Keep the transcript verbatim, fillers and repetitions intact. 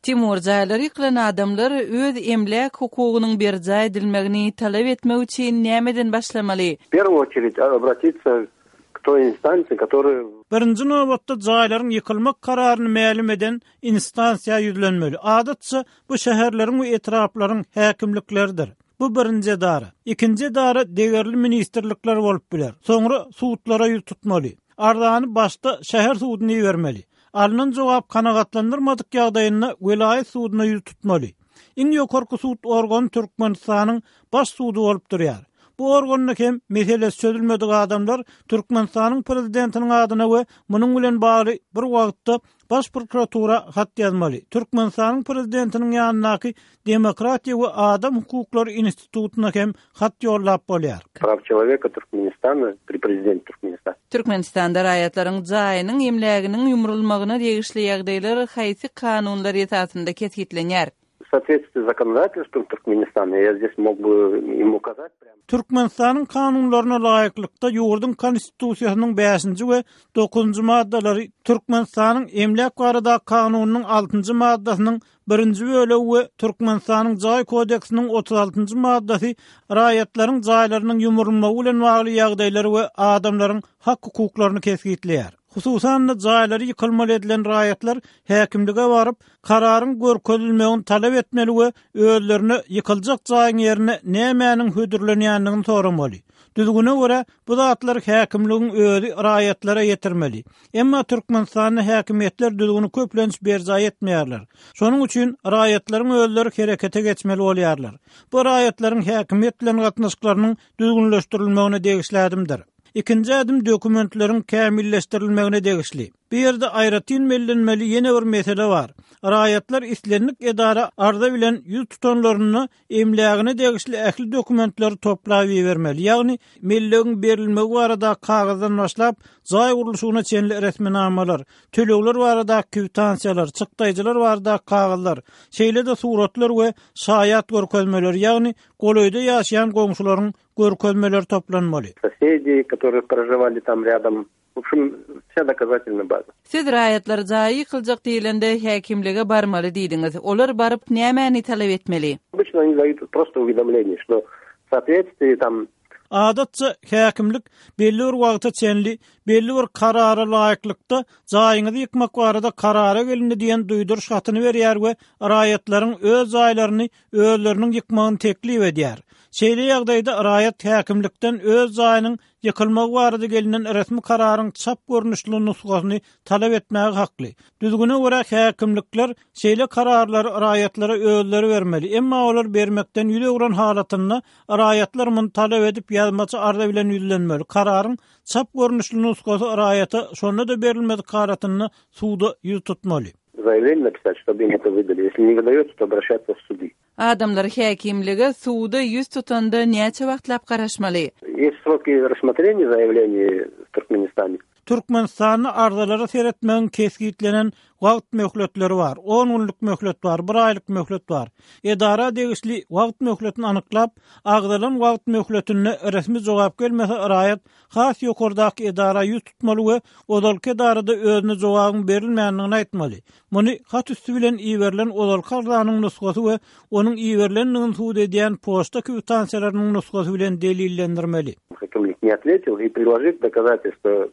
Timur, jaýlary ýykylan adamlar öz emläk hukugynyň berjaý edilmegini talap etmek üçin nämeden başlamaly? В первую очередь обратиться к той инстанции, которая Birinji nobatda jaýlaryň ýykylmak kararyny mälim eden instansiýa ýüzlenmeli. Adatça bu şäherleriň we etraplaryň häkimlikleridir. Bu birinji edara. Ikinji edara degerli ministrlikler bolup biler. Soňra sudlara ýüz tutmaly. Arzany başda şäher suduna ibermeli. Alynan jogap kanagatlandyrmadyk ýagdaýynda welaýat suduna ýüz tutmaly. Iň ýokarky sud organy Türkmenistanyň baş sudy bolup durýar. Bu organda hem meselesi çözülmedik adamlar Türkmenistanyň prezidentiniň adyna we munuň bilen bagly bir wagtda baş prokuratura hat ýazmaly. Türkmenistanyň prezidentiniň ýanyndaky Demokratiýa we adam hukuklary institutyna hem hat ýollap bolýar. Прав человека Туркменистана при президенте Туркменистана. Türkmenistanda raýatlaryň jaýynyň emläginiň ýumrulmagyna degişli ýagdaýlar haýsy kanunlar esasynda kesgitlenýär? В соответствии с законодательством Туркменистана, я здесь мог бы им указать прямо. Türkmenistanyň kanunlaryna laýyklykda ýurduň konstitusiýasynyň bäşinji we dokuzynjy maddalary Türkmenistanyň emläk barada kanunynyň altynjy maddasynyň birinji bölegi we Türkmenistanyň jaý kodeksiniň otuz altynjy maddasy raýatlaryň jaýlarynyň ýumrulmagy bilen bagly ýagdaýlary we adamlaryň hak hukuklaryny kesgitleýär. Hususan-da jaýlary ýykylmaly edilen raýatlar häkimlige baryp, kararyň görkezilmegini talap etmeli we özlerine ýykyljak jaýyň ýerine nämäniň hödürlenýändigini soramaly. Düzgüne görä bu zatlar häkimligiň özi raýatlara ýetirmeli. Emma Türkmenistanda häkimiýetler düzgüni köplenç berjaý etmeýärler. Şonuň üçin raýatlaryň özleri herekete geçmeli bolýarlar. Bu raýatlaryň häkimiýet bilen gatnaşyklarynyň düzgünleşdirilmegine degişli ädimdir. Ikinji ädim dokumentleriň kämilleşdirilmegine degişli. Bu ýerde aýratyn bellenmeli ýene bir mesele bar. Raýatlar islendik edara arza bilen ýüz tutanlaryna emlägine degişli ähli dokumentleri toplap bermeli. Ýagny mellegiň berilmegi barada kagyzdan başlap, jaý gurluşygyna çenli resminamalar, tölegler barada kwitansiýalar, çykdaýjylar barada kagyzlar, şeýle-de suratlar we şaýat görkezmeleri, ýagny golaýda ýaşaýan goňşularyň görkezmeleri toplanmaly. Соседи, которые проживали там рядом. В общем, вся доказательная база. Siz raýatlar jaýy ýykyljak diýilende häkimlige barmaly diýdiňiz. Olar baryp nämäni talap etmeli? Обычно они дают просто уведомление, что в соответствии там Adatça häkimlik belli bir wagta çenli belli bir karara laýyklykda jaýyňyzy ýykmak barada karara gelindi diýen duýduryş hatyny berýär we raýatlaryň öz jaýlaryny özleriniň ýykmagyny teklip edýär. Şeýle ýagdaýda raýat häkimlikden öz jaýynyň ýykylmagy barada gelinen resmi kararyň çap görnüşli nusgasyny talap etmäge hakly. Düzgüne görä häkimlikler şeýle kararlary raýatlara özleri bermeli. Emma olar bermekden ýüz öwren halatynda raýatlar muny talap edip ýazmaça arza bilen ýüzlenmeli. Kararyň çap görnüşli nusgasy raýata şonda-da berilmedik halatynda suda ýüz tutmaly. Заявление написать, чтобы им это выдали. Если не выдается, то обращаться в суды. Adamlar häkimlige suda ýüz tutanda näçe wagtlap garaşmaly? Есть сроки рассмотрения заявлений в Туркменистане. Türkmenistanda arzalara seretmegiň kesgitlenen wagt möhletleri bar. on günlük möhlet bar, bir aýlyk möhlet bar. Edara degişli wagt möhletini anyklap, agzalan wagt möhletine resmi jogap gelmese raýat has ýokardaky edara ýüz tutmaly we ozalky edarada özüne jogabyň berilmändigini aýtmaly. Muny hat üstü bilen iberilen ozalky arzanyň nusgasy we onuň iberilendigini subut edýän poçta kwitansiýalarynyň nusgasy bilen delillendirmeli. Häkimlik не ответил и приложить доказательства.